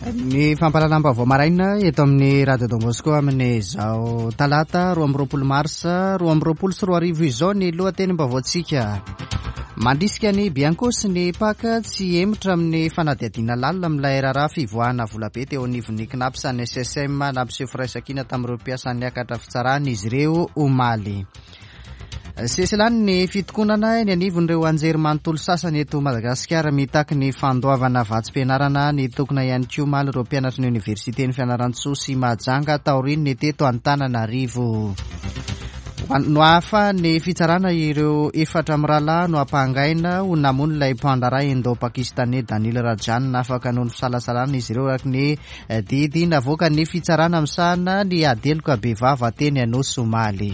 Ny fampahalalam-baovao maraina eto amin'ny Radio Don Bosco amin'izao talata 22 marsa 2022 izao ny lohatenim-baovaontsika. Mandrisika ny Bianco sy ny Pac tsy hemotra amin'ny fanadihadiana lalina amin'ilay raharaha fivoahana volabe teo anivon'ny Cnaps ny SSM nampiseho firaisankina tamin'ireo mpiasa niakatra fitsarana izy ireo omaly. Sesilany ny fitokonana eny anivon'ireo anjerimanontolo sasany eto Madagasikara mitaky ny fandoavana vatsim-pianarana. Nitokona ihany koa omaly ireo mpianatry ny oniversiten'i Fianarantsoa sy Mahajanga taorian'ny teto Antananarivo. Nohafahan'ny fitsarana ireo efatra mirahalahy nohampangaina ho namono ilay mpandraharaha Indo-Pakistaney Danil Rajan. Afaka noho ny fisalasalana izy ireo araka ny Didy navoakan'ny fitsarana misahana ny ady heloka bevava teny Anosy omaly.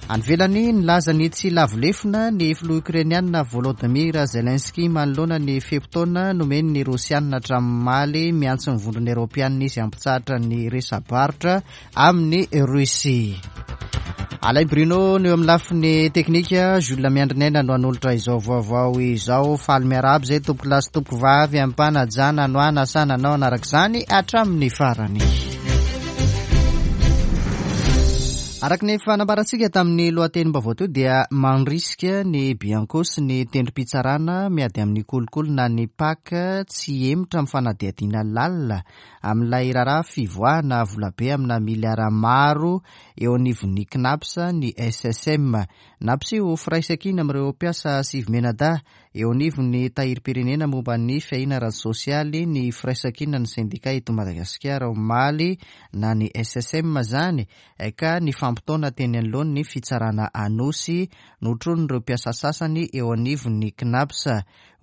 Any ivelany, nilaza ny tsy lavo lefona ny filoha Ukrainiana Volodymyr Zelensky manoloana ny fe-potoana nomeny ny Rosiana hatramin'ny omaly. Miantso ny Vondrona Eoropeanina izy hampitsahatra ny resa-barotra amin'i Russie. Alain Bruno no eo amin'ny lafiny teknika, Jules Miandrinaina no hanolotra izao vaovao izao. Faly miarahaba izay tompoko lahy sy tompoko vavy am-panajana no hanasana anao hanaraka izany hatramin'ny farany. Araka ny efa nambarantsika tamin'ny lohatenim-baovao teo dia mandrisika ny Bianco sy ny tendrom-pitsarana miady amin'ny kolikoly na ny PAC tsy hihemotra amin'ny fanadihadiana lalina amin'ilay raharaha fivoahana volabe amina miliara maro eo anivon'ny Cnaps ny SSM. Nampiseho firaisankina amin'ireo mpiasa sivy mianadahy eo anivon'ny tahirim-pirenena momba ny fiahiana ara-tsosialy ny firaisankinan'ny sendika eto Madagasikara omaly na ny SSM izany ka nifampitaona teny anoloan'ny fitsarana Anosy notronin'ireo mpiasa sasany eo anivon'ny Cnaps.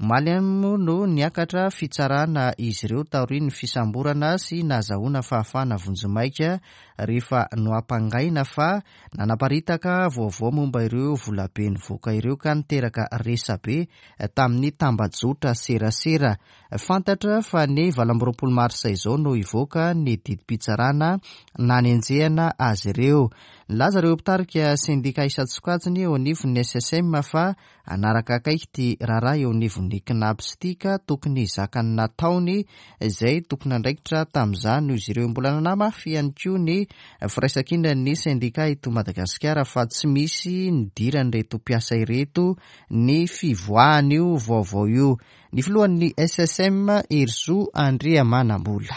Omaly ihany moa no niakatra fitsarana izy ireo taorian'ny fisamborana sy nahazahoana fahafahana vonjimaika rehefa nohampangaina fa nanaparitaka vaovao momba ireo volabe nivoaka ireo ka niteraka resabe tamin'ny tambajotra serasera. Fantatra fa ny 28 marsa izao no hivoaka ny didim-pitsarana nanenjehana azy ireo. Nilaza ireo mpitarika sendika isan-tsokajiny eo anivon'ny SSM fa Hanaraka akaiky ity raharaha eo anivon'ny Cnaps ity ka tokony hizaka ny nataony izay tompon'andraikitra tamin'izany noho izy ireo. Mbola nanamafy ihany koa ny firaisankinan'ny sendika eto Madagasikara fa tsy misy nidiran'ireto mpiasa ireto ny fivoahan'io vaovao io. Ny filohan'ny SSM, Herizo Andriamanambola.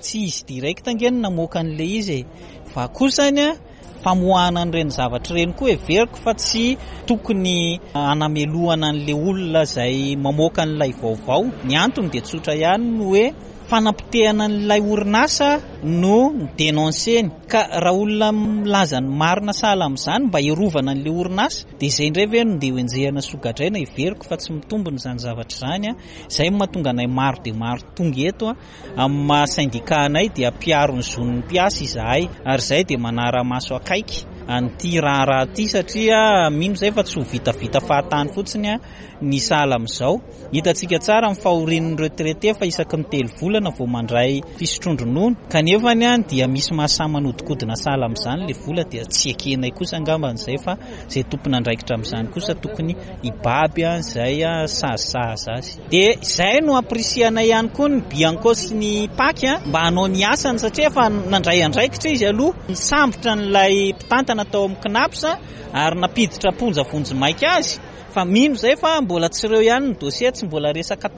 Tsy izy direct ange no namoaka an'ilay izy e! Fa kosany an, famoahana an'ireny zavatra ireny koa heveriko fa tsy tokony hanamelohana an'ilay olona izay mamoaka an'ilay vaovao. Ny antony dia tsotra ihany ny hoe fanapotehana an'ilay orinasa no ni-denoncer-ny. Ka raha olona milaza ny marina sahala amin'izany mba hiarovana an'ilay orinasa dia izay indray ve no ndeha ho enjehina sy ho gadraina? Heveriko fa tsy mitombina izany zavatra izany. Izay no mahatonga anay maro dia maro tonga eto. Amin'ny maha sendika anay dia mpiaro ny zon'ny mpiasa izahay ary izahay dia manara-maso akaiky an'ity raharaha ity satria mino izahay fa tsy ho vitavita fahatany fotsiny ny sahala amin'izao. Hitantsika tsara ny fahorian'ny retraité fa isaky ny telo volana vao mandray fisotroan-dronono kanefa dia misy mahasahy manodinkodina sahala amin'izany ilay vola dia tsy ekenay kosa angambany izay fa izay tompon'andraikitra amin'izany kosa tokony hibaby izay sazy sahaza azy. Dia izay no ampirisihanay ihany koa ny Bianco sy ny Pac mba hanao ny asany satria efa nandray andraikitra izy aloha, nisambotra an'ilay mpitantana tao amin'ny Cnaps ary nampiditra am-ponja vonjimaika azy fa mino izay fa mbola tsy ireo ihany ny dossier, tsy mbola resaka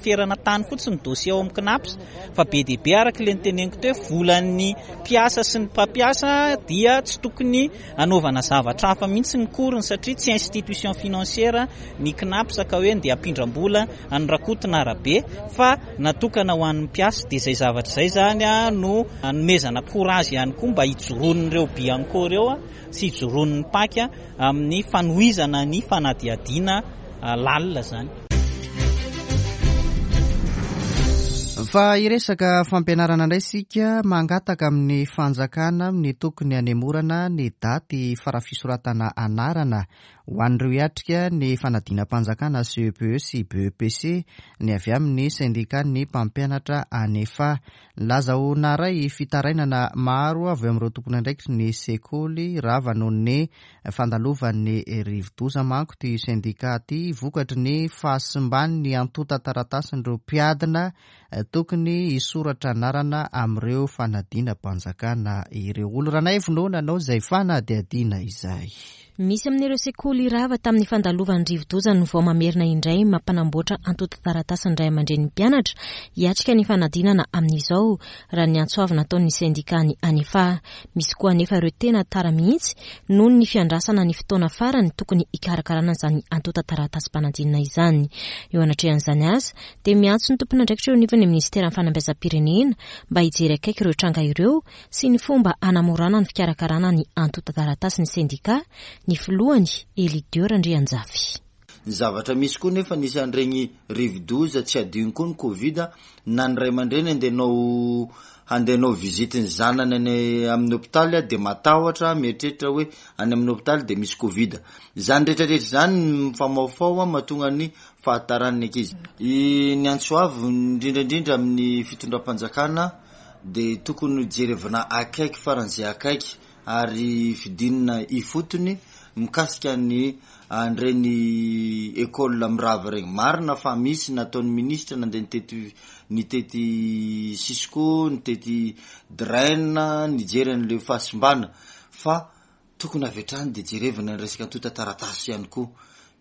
ferana tany fotsiny ny dossier ao amin'ny Cnaps fa be dia be araka ilay noteneniko teo hoe volan'ny mpiasa sy ny mpampiasa dia tsy tokony hanaovana zavatra hafa mihitsy ny cours-ny satria tsy institution financière ny Cnaps ka hoe ndeha hampindram-bola an'i Rakoto na Rabe fa natokana ho an'ny mpiasa dia izay zavatra izay izany no hanomezana courage ihany koa mba hijoroan'ireo Bianco ireo sy hijoroan'ny Pac amin'ny fanohizana ny fanadihadiana lalina izany. Fa hiresaka fampianarana indray isika, mangataka amin'ny fanjakana amin'ny tokony hanemorana ny daty fara-fisoratana anarana. ho an'ireo hiatrika ny fanadinam-panjakana CEPE sy BEPC ny avy amin'ny sendikan'ny mpampianatra Anefa. Nilaza ho naharay fitarainana maro avy amin'ireo tompon'andraikitry ny sekoly rava noho ny fandalovan'ny rivodoza manko ity sendika ity vokatry ny fahasimban'ny antontan-taratasin'ireo mpiadina tokony hisoratra anarana amin'ireo fanadinam-panjakana ireo. Olo Ranaivo no nanao izay fanadihadiana izay. Misy amin'ireo sekoly rava tamin'ny fandalovan'ny rivodoza no vao mamerina indray mampanamboatra antontan-taratasin'ny ray aman-drenin'ny mpianatra hiatrika ny fanadinana amin'izao, raha ny antso avo nataon'ny sendikan'ny Anefa. Misy koa anefa ireo tena tara mihitsy noho ny fiandrasana ny fotoana farany tokony hikarakarana izany antontan-taratasim-panadinana izany. Eo anatrehan'izany aza dia miantso ny tompon'andraikitra eo anivon'ny minisiteran'ny fanabeazam-pirenena mba hijery akaiky ireo tranga ireo sy ny fomba hanamorana ny fikarakarana ny antontan-taratasy ny sendikà, ny filohany, Elidieu Randrianjafy. Ny zavatra misy koa nefa nisy an'ireny rivodoza tsy adino koa ny covid na ny ray aman-dreny andeha hanao handeha hanao visite ny zanany any amin'ny hopitaly dia matahotra mieritreritra hoe any amin'ny hopitaly dia misy covid. Izany rehetra rehetra izany mifamahofaho mahatonga ny fahataran'ny ankizy. Ny antso avo indrindra indrindra amin'ny fitondram-panjakana dia tokony ho jerevina akaiky faran'izay akaiky ary fidinina ifotony mikasika ny an'ireny école mirava ireny. Marina fa misy nataon'ny minisitra nandeha nitety nitety Cisco, nitety Drain, nijery an'ilay fahasimbana fa Tokony avy hatrany dia jerevana ny resaka antontan-taratasy ihany koa.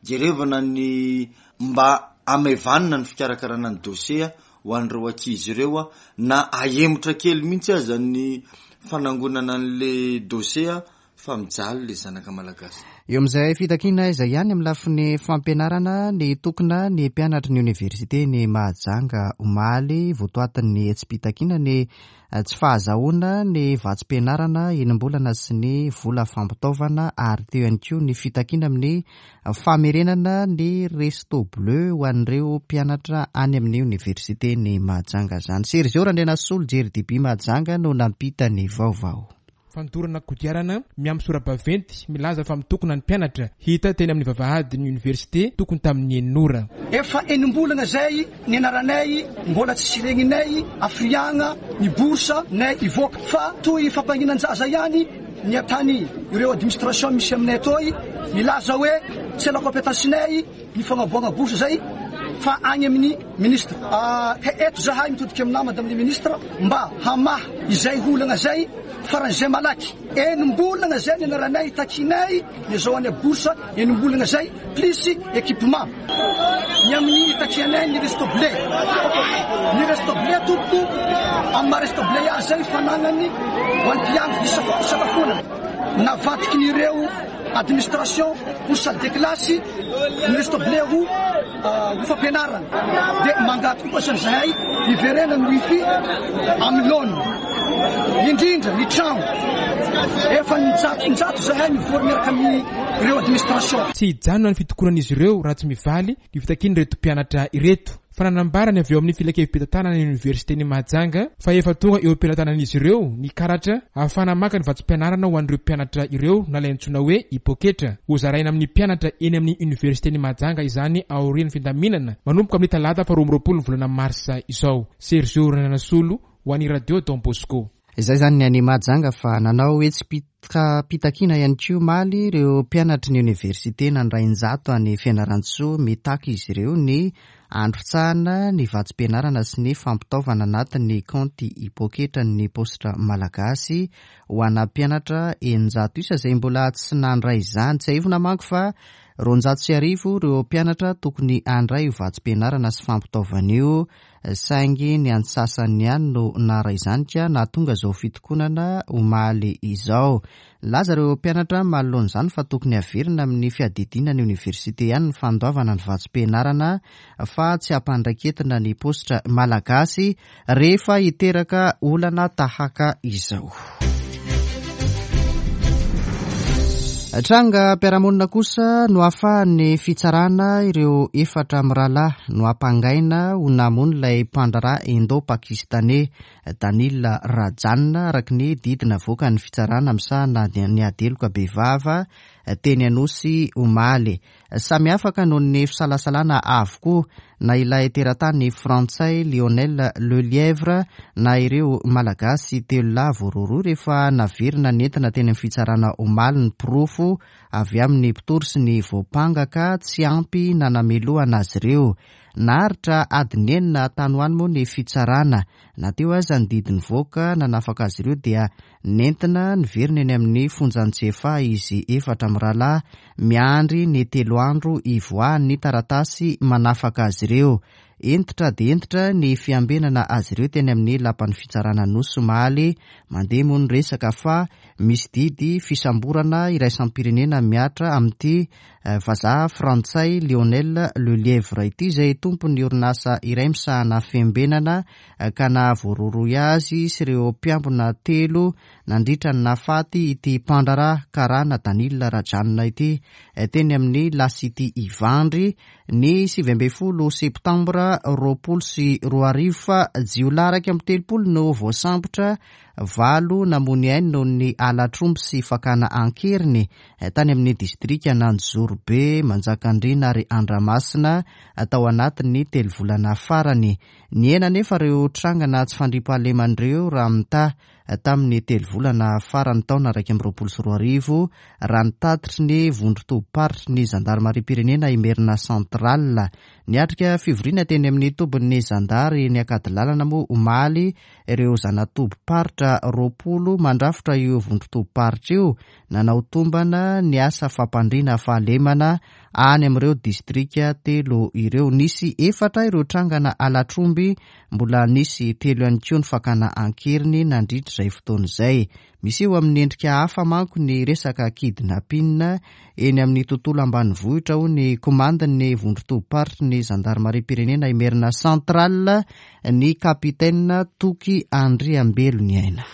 Jerevana ny mba hamaivanina ny fikarakarana ny dosie ho an'ireo ankizy ireo na ahemotra kely mihitsy aza ny fanangonana an'le dosie fa mijaly le zanaka malagasy. Eo amin'izay fitakiana izay ihany amin'ny lafiny fampianarana, nitokona ny mpianatry ny oniversiten'i Mahajanga omaly, votoatin'ny hetsi-pitakiana ny Tsy fahazahoana ny vatsim-pianarana enim-bolana sy ny vola fampitaovana ary teo ihany koa ny fitakiana amin'ny famerenana ny resto bleu ho an'ireo mpianatra any amin'ny oniversiten'i Mahajanga izany. Sergio Randrianasolo, Jery DB Mahajanga no nampita ny vaovao. Fandorana kodiarana miampy sora-baventy milaza fa mitokona ny mpianatra, hita teny amin'ny vavahadin'ny oniversite tokony tamin'ny enina ora. Efa enim-bolana izay nianaranay mbola tsisy regninay hafiriagna ny bourse nay hivoaka fa toy fampanginan-jaza ihany ny atany ireo administration misy aminay atoy milaza hoe tsy la compétence-nay ny fagnaboagna bourse zay fa agny amin'ny ministre. Ka eto zahay mitodika aminà madame le ministre mba hamaha izay olagna zay faran'izay malaky. Enim-bolagna zay nianaranay takinay ny azahoanay bourse enim-bolagna zay plus équipement. Ny amin'ny itakianay ny resto blé. Ny resto blé tompoko amin'ny maha resto blé azy zay fanagnany ho an'ny mpiandry fisakafoana navadikin'ireo Administration ho salle de classe, ny resto blé ho ho fampianarana. Dia mangataka koa zany zahay hiverenana ny wifi amin'ny laoniny. Indrindra ny trano. Efa injato zahay mivory miaraka amin'ireo administration. Tsy hijanona ny fitokonan'izy ireo raha tsy mivaly ny fitakian'ireto mpianatra ireto. Fa nanambara ny avy ao amin'ny filankevi-pitantanana ny oniversiten'i Mahajanga fa efa tonga eo am-pelatanan'izy ireo ny karatra ahafahana maka ny vatsim-pianarana ho an'ireo mpianatra ireo na ilay antsoina hoe hipoketra. Hozaraina amin'ny mpianatra eny amin'ny oniversiten'i Mahajanga izany aorian'ny findaminana manomboka amin'ny talata faha 22 ny volana marsa izao. Sergio Randrianasolo ho an'ny Radio Don Bosco. Izay izany ny any Mahajanga fa nanao hetsi-pitakiana ihany koa omaly ireo mpianatry ny oniversite Andrainjato any Fianarantsoa. Mitaky izy ireo ny handrotsahana ny vatsim-pianarana sy ny fampitaovana anatin'ny kaonty hipoketran'ny paositra malagasy ho ana mpianatra 600 isa izay mbola tsy nandray izany. Tsiahivina manko fa 1200 ireo mpianatra tokony handray io vatsim-pianarana sy fampitaovana io saingy ny antsasany ihany no naharay izany ka nahatonga izao fitokonana omaly izao. Nilaza ireo mpianatra manoloana izany fa tokony haverina amin'ny fiadidiana ny oniversite ihany ny fandoavana ny vatsim-pianarana fa tsy hampandraiketina ny paositra malagasy rehefa hiteraka olana tahaka izao. Trangam-piarahamonina kosa no ahafahan'ny fitsarana ireo efatra mirahalahy nohampangaina ho namono ilay mpandraharaha Indo-Pakistaney, Danil Rajan, araka ny didy navoakan'ny fitsarana misahana ny ady heloka bevava. teny Anosy omaly. Samy afaka noho ny fisalasalana avokoa na ilay teratany frantsay Lionel Lelièvre na ireo Malagasy telo lahy voarohirohy rehefa naverina nentina teny amin'ny fitsarana omaly ny porofo avy amin'ny mpitory sy ny voampanga ka tsy ampy nanamelohana azy ireo. Naharitra adiny enina tany ho any moa ny fitsarana. Na teo aza ny didy nivoaka nanafaka azy ireo dia nentina niverina eny amin'ny fonjan'i Tsiafahy izy efatra mirahalahy miandry ny telo andro hivoahan'ny taratasy manafaka azy ireo. Hentitra dia hentitra ny fiambenana azy ireo teny amin'ny lapan'ny fitsarana Anosy omaly. Mandeha moa ny resaka fa misy didy fisamborana iraisam-pirenena mihatra amin'ity vazaha frantsay Lionel Lelièvre ity izay tompon'ny orinasa iray misahana fiambenana ka nahavoarohirohy azy sy ireo mpiambina telo nandritra ny nahafaty ity mpandraharaha karana Danil Rajanona ity teny amin'ny La City Ivandry ny 19 septambra 2020 fa jiolahy 31 no voasambotra, valo namoy ainy noho ny halatr'omby sy fakana an-keriny tany amin'ny distrikan'Anjozorobe, Manjakandriana ary Andramasina tao anatin'ny telo volana farany. Nihena anefa ireo trangana tsy fandriampahalemana ireo raha mitaha tamin'ny telo volana farany taona 2021, raha ny tatitry ny vondron-tobim-paritry ny zandarimariam-pirenena Imerina Central. Niatrika fivoriana teny amin'ny tobin'ny zandary eny Ankadilalana moa omaly ireo zana-tobim-paritra 20 mandrafitra io vondron-tobim-paritra io, nanao tombana ny asa fampandriana fahalemana any amin'ireo distrika telo ireo. Nisy efatra ireo trangana halatr'omby, mbola nisy telo ihany koa ny fakana an-keriny nandritra izay fotoana izay. Miseho amin'ny endrika hafa manko ny resaka kidnapping eny amin'ny tontolo ambanivohitra, hoy ny komandin'ny vondron-tobim-paritry ny zandarimariam-pirenena Imerina Central, ny kapitaina Toky Andriambeloniaina.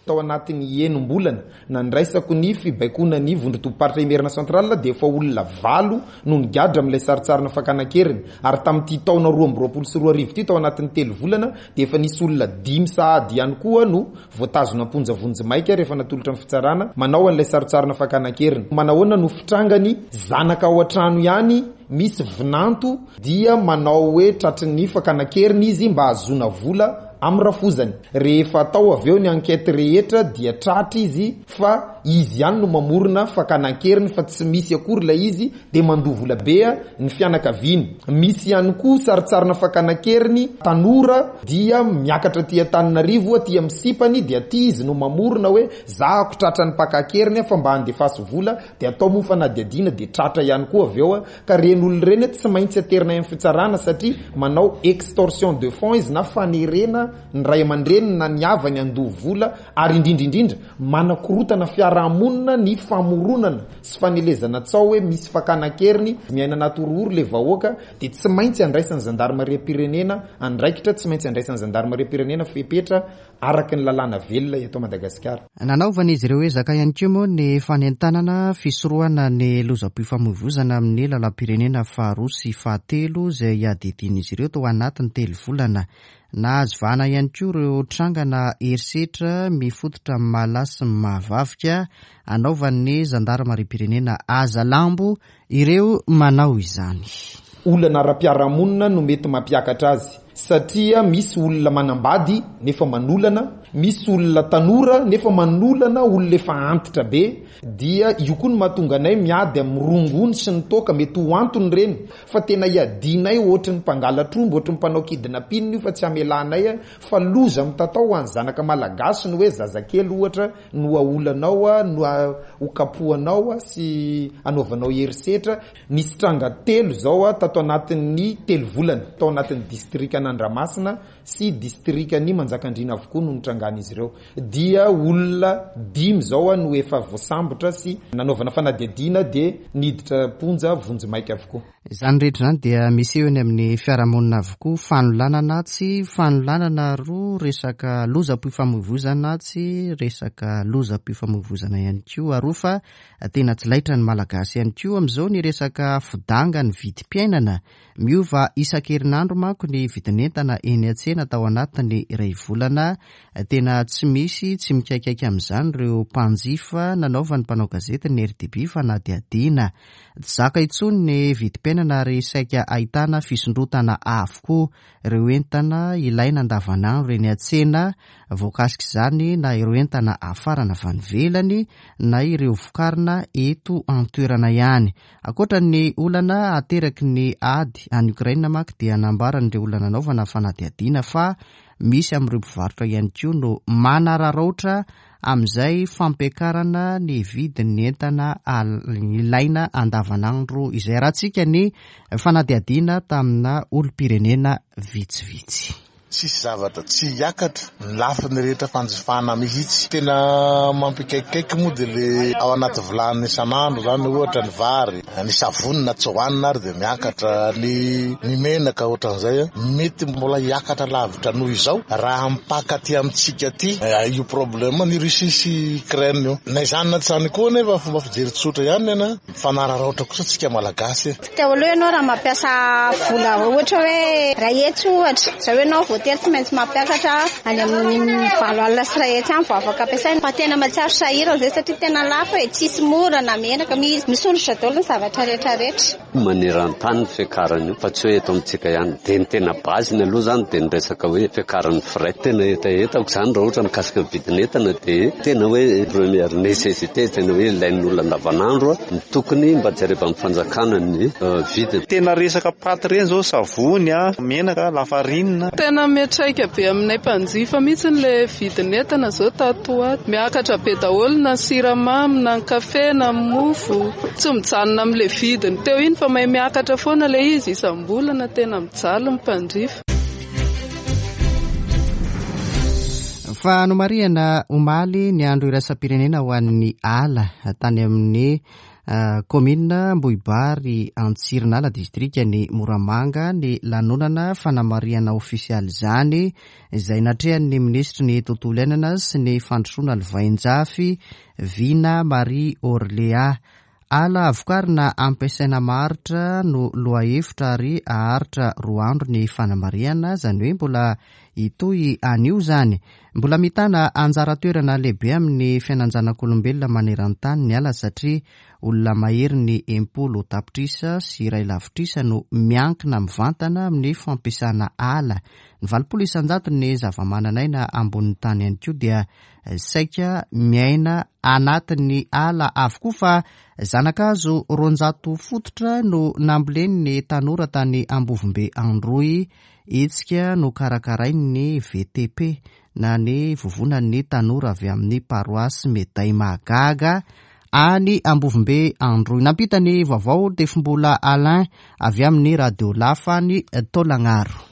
Tao anatin'ny enim-bolana nandraisako ny fibaikoana ny vondron-tobim-paritra Imerina Central dia efa olona valo no nigadra amin'ilay sarintsarina fakana an-keriny ary tamin'ity taona 2022 ity tao anatin'ny telo volana dia efa nisy olona dimy sahady ihany koa no voatazona am-ponja vonjimaika rehefa natolotra ny fitsarana manao an'ilay sarintsarina fakana an-keriny. Manahoana no fitrangany? Zanaka ao an-trano ihany misy vinanto dia manao hoe tratry ny fakana an-keriny izy mba hahazoana vola amin'ny rafozany. Rehefa atao avy eo ny enquête rehetra dia tratra izy fa izy ihany no mamorona fakana an-keriny fa tsy misy akory ilay izy dia mandoa vola be ny fianakaviany. Misy ihany koa sarintsarina fakana an-keriny tanora dia miakatra aty Antananarivo aty amin'ny sipany dia aty izy no mamorona hoe zahako tratran'ny mpaka an-keriny aho fa mba andefaso vola dia atao moa fanadihadiana dia tratra ihany koa avy eo ka ireny olona ireny tsy maintsy aterina any amin'ny fitsarana satria manao extorsion de fonds izy na fanerena ny ray aman-dreniny na ny havany handoa vola ary indrindra indrindra manakorotana fiarahamonina ny famoronana sy fanelezana tsaho hoe misy fakana an-keriny miaina anaty horohoro ilay vahoaka dia tsy maintsy andraisan'ny zandarimariam-pirenena andraikitra tsy maintsy andraisan'ny zandarimariam-pirenena fepetra araka ny lalàna velona eto Madagasikara. Nanaovan'izy ireo ezaka ihany koa moa ny fanentanana fisorohana ny lozam-pifamoivoizana amin'ny lalam-pirenena faharoa sy fahatelo izay iadidian'izy ireo tao anatin'ny telo volana. Nahazo vahana ihany koa ireo trangana herisetra mifototra amin'ny maha lahy sy ny maha vavy ka anaovan'ny zandarimariam-pirenena haza lambo ireo manao izany. Olana ara-piarahamonina no mety mampiakatra azy satria misy olona manambady nefa manolana, misy olona tanora nefa manolana olona efa antitra be dia io koa no mahatonga anay miady amin'ny rongony sy ny toaka, mety ho antony ireny fa tena iadianay ohatry ny mpangalatr'omby, ohatry ny mpanao kidnapping io fa tsy hamelanay fa loza mitatao ho an'ny zanaka malagasy ny hoe zazakely ohatra no aolanao, no hokapohanao sy anaovanao herisetra. Nisy tranga telo izao tato anatin'ny telo volana, tao anatin'ny distrikan'Andramasina sy distrikan'i Manjakandriana avokoa no nitrangan'izy ireo. Dia olona dimy izao no efa voasambotra sy nanaovana fanadihadiana dia niditra am-ponja vonjimaika avokoa. Izany rehetra izany dia miseho eny amin'ny fiarahamonina avokoa, fanolanana atsy, fanolanana aroa, resaka lozam-pifamoivoizana atsy, resaka lozam-pifamoivoizana ihany koa aroa fa tena tsy laitra ny Malagasy ihany koa amin'izao ny resaka fidangan'ny vidim-piainana. Miova isan-kerinandro manko ny vidin'entana eny an-tsena. tsena tao anatin'ny iray volana. Tena tsy misy tsy mikaikaika amin'izany ireo mpanjifa nanaovan'ny mpanao gazety ny RDB fanadihadiana. Tsy zaka intsony ny vidim-piainana ary saika ahitana fisondrotana avokoa ireo entana ilaina andavanandro eny an-tsena voakasik'izany na ireo entana afarana avy any ivelany na ireo vokarina eto an-toerana ihany. Ankoatra ny olana ateraky ny ady any Ukraine manko dia nambaran'ireo olona nanaovana fanadihadiana fa misy amin'ireo mpivarotra ihany koa no manararaotra amin'izay fampiakarana ny vidin'ny entana ilaina andavanandro izay. Arahantsika ny fanadihadiana tamina olom-pirenena vitsivitsy. Tsisy zavatra tsy hiakatra ny lafiny rehetra fanjifana mihitsy. Tena mampikaikikaiky moa dia le ao anaty vilany isan'andro zany ohatra ny vary, ny savony na tsy hohanina ary dia miakatra, ny ny menaka ohatran'izay. Mety mbola hiakatra lavitra noho izao raha mipaka aty amintsika aty io problème ny Russie sy Ukraine io. Na izany na tsy izany koa anefa fomba fijery tsotra ihany nena. Mifanararaotra kosa tsika malagasy e. Teo aloha ianao raha mampiasa vola ohatra hoe iray hetsy ohatra, izao ianao voatery tsy maintsy mampiakatra any amin'ny 8,000 any vao afaka ampiasaina. Fa tena mahatsiaro sahirana izay satria tena lafo e, tsisy mora na menaka, misondrotra daholo ny zavatra rehetra rehetra. Maneran-tany ny fiakarana io fa tsy hoe eto amintsika ihany. Dia ny tena base-ny aloha izany dia ny resaka hoe fiakaran'ny frais. Tena hetahetako izany raha ohatra mikasika ny vidin'entana dia tena hoe première nécessité, tena hoe ilain'ny olona andavanandro no tokony mba jerevan'ny fanjakana ny vidiny. Tena resaka paty ireny izao, savony, menaka, lafarinina. Tena miantraika be aminay mpanjifa mihitsy ilay vidin'entana izao tato ho ato. Miakatra be daholo na ny siramamy na ny kafe na ny mofo. Tsy mijanona amin'ilay vidiny teo iny fa mahay miakatra foana ilay izy isam-bolana, tena mijaly ny mpanjifa. Fa nomarihana omaly ny andro iraisam-pirenena ho an'ny ala tany amin'ny kaominina Ambohibary Antsirinala distrikan'i Moramanga ny lanonana fanamarihana ofisialy izany izay natrehan'ny minisitry ny tontolo iainana sy ny fandrosoana lovainjafy Vina Marie Orléa. Ala vokarina ampiasaina maharitra no lohahevitra ary haharitra roa andro ny fanamarihana, izany hoe mbola hitohy anio izany. Mbola mitana anjara toerana lehibe amin'ny fiainan-janak'olombelona maneran-tany ny ala satria olona maherin'ny 60 tapitrisa sy iray lavitrisa no miankina mivantana amin'ny fampiasana ala. Ny 80 isan-jaton'ny zavamananaina ambonin'ny tany ihany koa dia Saika miaina anatin'ny ala avokoa fa zana-kazo 200 fototra no nambolen'ny tanora tany Ambovombe Androy, hetsika nokarakarain'ny VTP na ny Vovonan'ny Tanora avy amin'ny Paroasy Meday Mahagaga any Ambovombe Androy. Nampita ny vaovao Tefimbola Alain avy amin'ny Radio Lafa any Taolagnaro.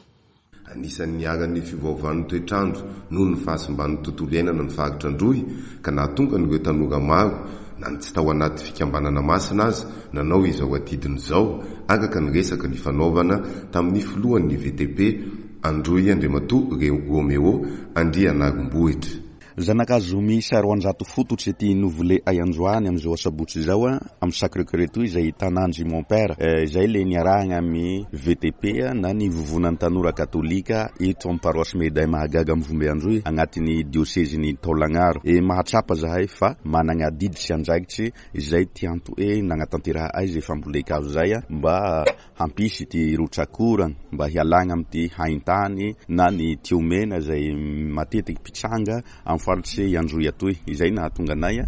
Anisan'ny niharan'ny fiovaovan'ny toetr'andro noho ny fahasimban'ny tontolo iainana ny faritra Androy ka nahatonga an'ireo tanora maro, na ny tsy tao anaty fikambanana masina aza, nanao izao adidiny izao, araka ny resaka nifanaovana tamin'ny filohan'ny VTP Androy Andriamatoa Roméo Andrianarimbohitra. Zanakazo miisa 200 fototry ity novole'ay androany amin'izao asabotsy izao amin'ny Sacre Coeur etoy izay tanàndry Mon Père izay le niarahagna amin'ny VTP na ny Vovonan'ny Tanora Katolika eto amin'ny Paroasy Meday Mahagaga Mivombe Androy agnatin'ny diosezin'i Taolagnaro. E mahatsapa zahay fa managna adidy sy andraikitry izay ty anto'e nagnatanteraha'ay zay fambolen-kazo zay mba Hampisy ity rotsak'orana mba hialagna amin'ity haintany na ny tiomena izay matetiky mpitranga amin'ny faritry Androy atoy. Izay nahatonga anay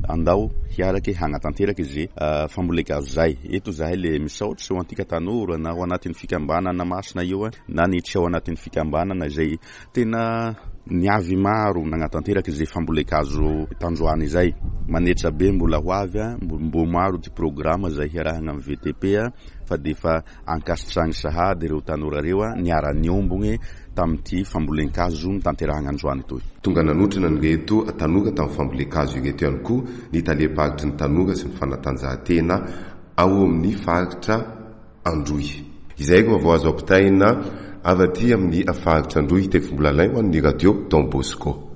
andao hiaraky hagnatanteraky ze fambolen-kazo zay. Eto zahay le misaotry ho antika tanora na ao anatin'ny fikambanana masina io na ny tsy ao anatin'ny fikambanana izay Tena niavy maro nagnatanteraka izay fambolen-kazo tandroany izay. Manetra be mbola ho avy, mbo maro ty programa izay hiarahagna amin'ny VTP fa dia efa ankasitrahagny sahady ireo tanora ireo niara-niombogny tamin'ity fambolen-kazo notanterahagna androany itoy. Tonga nanotrona an'ireto tanora tamin'ny fambolen-kazo ireto ihany koa ny talem-paritry ny tanora sy ny fanatanjahantena ao amin'ny faritra Androy. Izay no vaovao azo ampitaina avy aty amin'ny faritra Androy, Tefimbolalain ho an'ny Radio Don Bosco.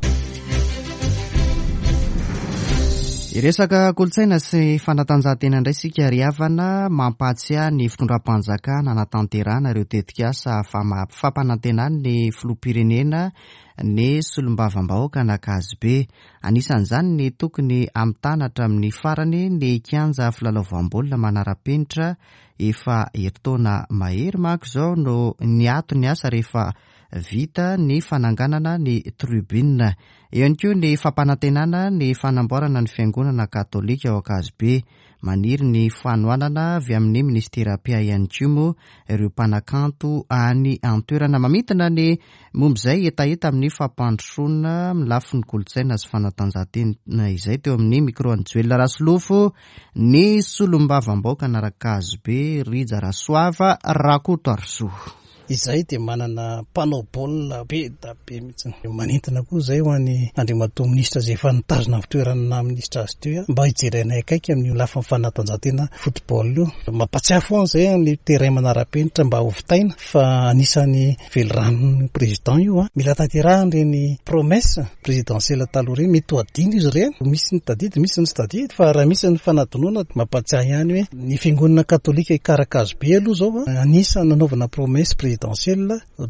Hiresaka kolontsaina sy fanatanjahantena indray isika ry havana, mampahatsiahy ny fitondram-panjakana hanatanterahana ireo tetikasa fampanantenan'ny filoham-pirenena ny solombavambahoaka an'Ankazobe. Anisan'izany ny tokony hamitana hatramin'ny farany ny kianja filalaovam-baolina manara-penitra efa herintaona mahery manko izao no niato ny asa rehefa vita ny fananganana ny tribune. Eo ihany koa ny fampanantenana ny fanamboarana ny fiangonana katolika ao Ankazobe. Maniry ny fanohanana avy amin'ny minisitera mpiahy ihany koa moa ireo mpanakanto any an-toerana. Mamintina ny momba izay hetaheta amin'ny fampandrosoana amin'ny lafiny kolontsaina sy fanatanjahantena izay teo amin'ny micro an'i Joel Rasolofo ny solombavambahoaka an'Ankazobe Rija Rasoava Rakotoarisoa. Izahay dia manana mpanao baolina be da be mihitsy. Manentana koa izay ho an'i Andriamatoa Minisitra izay efa nitazona ny fitoerany naha Minisitra azy teo mba hijery anay akaiky amin'io lafiny fanatanjahantena football io. Mampatsiahy foana izay ny terrain manara-penitra mba hovitaina fa anisan'ny veliranon'ny Président io. Mila tanterahina ireny promesse présidentielle taloha ireny. Mety ho adino izy ireny. Misy ny tadidy, misy ny tsy tadidy fa raha misy ny fanadinoana mampatsiahy ihany hoe Ny fiangonana katolika Ikarakazobe aloha izao anisan'ny nanaovana promesse présidentielle,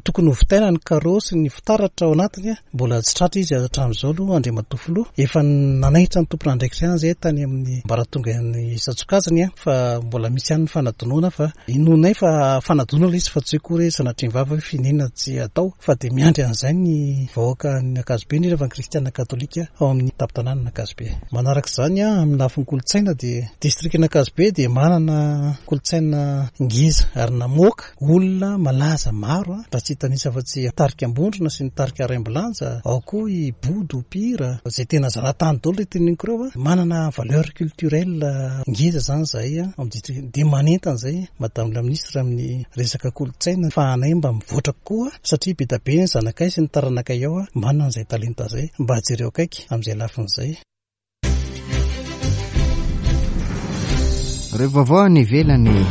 tokony ho vitaina ny carreaux sy ny fitaratra ao anatiny, mbola tsy tratra izy hatramin'izao aloha Andriamatoa Filoha, efa nanaitra ny tompon'andraikitra ihany izay tany amin'ny ambaratonga isan-tsokajiny fa mbola misy ihany ny fanadinoana fa inoanay fa fanadinoana ilay izy fa tsy hoe akory hoe sanatria ny vava hoe finiana tsy atao fa dia miandry an'izay ny vahoaka ny Ankazobe indrindra fa ny kristiana katolika ao amin'ny tampon-tanànan'Ankazobe. Manaraka izany, amin'ny lafiny kolontsaina dia Distrikan'Ankazobe dia manana kolontsaina ngeza ary namoaka olona malaza maro raha tsy hitanisa afa-tsy tarika Ambondrona sy ny tarika Raimbilanja, ao koa i Bodo mpihira izay tena zanatany daholo ireo teneniko ireo. Manana valeur culturelle ngeza izany izahay ao amin'ny distrika dia manentana izay Madame la Ministre amin'ny resaka kolontsaina fa anay mba mivoatra kokoa satria be dia be ny zanakay sy ny taranakay ao manana izay talenta izay mba jereo akaiky amin'izay lafiny izay. Ireo vaovao any ivelany.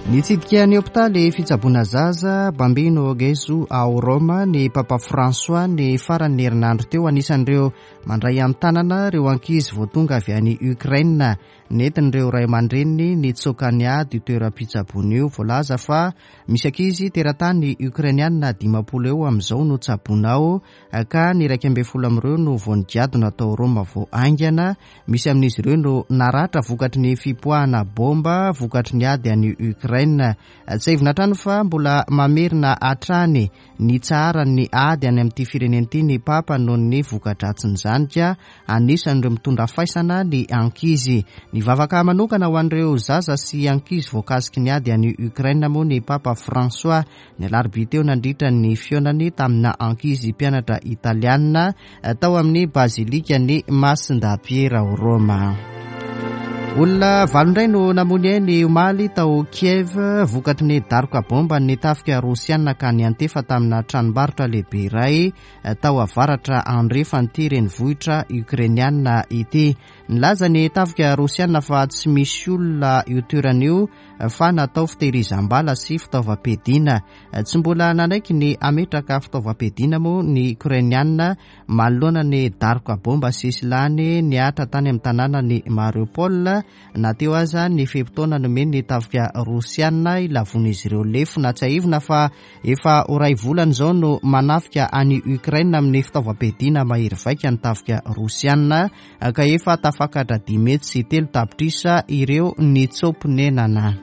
Nitsidika ny hopitaly fitsaboana zaza Bambino Gesù ao Roma ny Papa François ny faran'ny herinandro teo. Anisan'ireo mandray an-tanana ireo ankizy vao tonga avy any Ukraine. Nentin'ireo ray aman-dreniny nitsoaka ny ady io toeram-pitsaboana io. Voalaza fa misy ankizy teratany Ukrainiana 50 eo amin'izao no tsaboina ao. ka ny 11 amin'ireo no vao nigadona tao Roma vao haingana. Misy amin'izy ireo no naratra vokatry ny fipoahana baomba vokatry ny ady any Ukraine. Tsiahivina hatrany fa mbola mamerina hatrany ny tsaharan'ny ady any amin'ity firenena ity ny Papa noho ny voka-dratsin'izany ka anisan'ireo mitondra faisana ny ankizy. Nivavaka manokana ho an'ireo zaza sy ankizy voakasiky ny ady any Ukraine moa ny Papa François Ny alarobia teo nandritra ny fihaonany tamina ankizy mpianatra italiana tao amin'ny bazilikan'i Masindahy Piera ao Roma. Olona valo indray no namoy ny ainy omaly tao Kiev vokatry ny daroka bomba ny tafika rosiana ka niantefa tamina tranombarotra lehibe iray tao avaratra andrefan'ity renivohitra ukrainiana ity. Nilaza ny tafika rosiana fa tsy misy olona io toerana io fa natao fitehirizam-bala sy fitaovam-piadiana. Tsy mbola nanaiky ny hametraka fitaovam-piadiana moa ny Okrainiana manoloana ny daroka baomba sesilany nihatra tany amin'ny tanànan'i Mariupol, na teo aza ny fe-potoana nomen'ny tafika Rosiana hilavoan'izy ireo lefona. Tsiahivina fa efa ho iray volana izao no manafika an'i Ukraine amin'ny fitaovam-piadiana mahery vaika ny tafika Rosiana. ka efa tafakatra 305 tapitrisa ireo nitsoa-ponenana.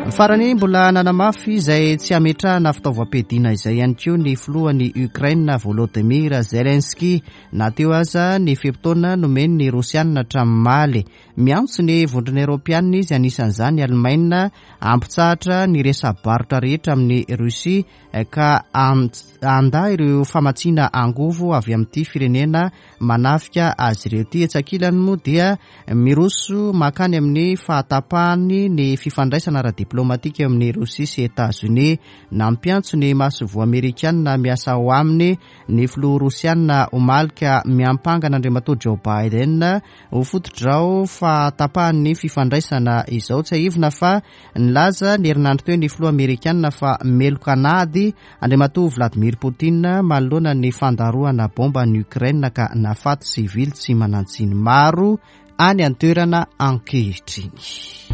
Farany, mbola nanamafy izay tsy hametrahana fitaovam-piadiana izay ihany koa ny filohan'i Ukraine Volodymyr Zelensky, na teo aza ny fe-potoana nomen'ny Rosiana hatramin'ny omaly. Miantso ny Vondrona Eoropeanina izy, anisan'izany Alemaina, hampitsahatra ny resa-barotra rehetra amin'i Russie ka handà ireo famatsiana angovo avy amin'ity firenena manafika azy ireo ity. Etsy ankilany moa dia miroso mankany amin'ny fahatapahany ny fifandraisana ara-diplomatika eo amin'i Rosia sy Etazonia. Nampiantso ny masoivoho amerikanina miasa ao aminy ny filoha rosiana omaly ka miampanga an'Andriamatoa Joe Biden ho fototr'izao fahatapahan'ny fifandraisana izao. Tsiahivina fa nilaza ny herinandro teo ny filoha amerikanina fa meloka an'ady Andriamatoa Vladimir Putin manoloana ny fandarohana bomba an'i Ukraine ka nahafaty sivily tsy manan-tsiny maro any an-toerana ankehitriny.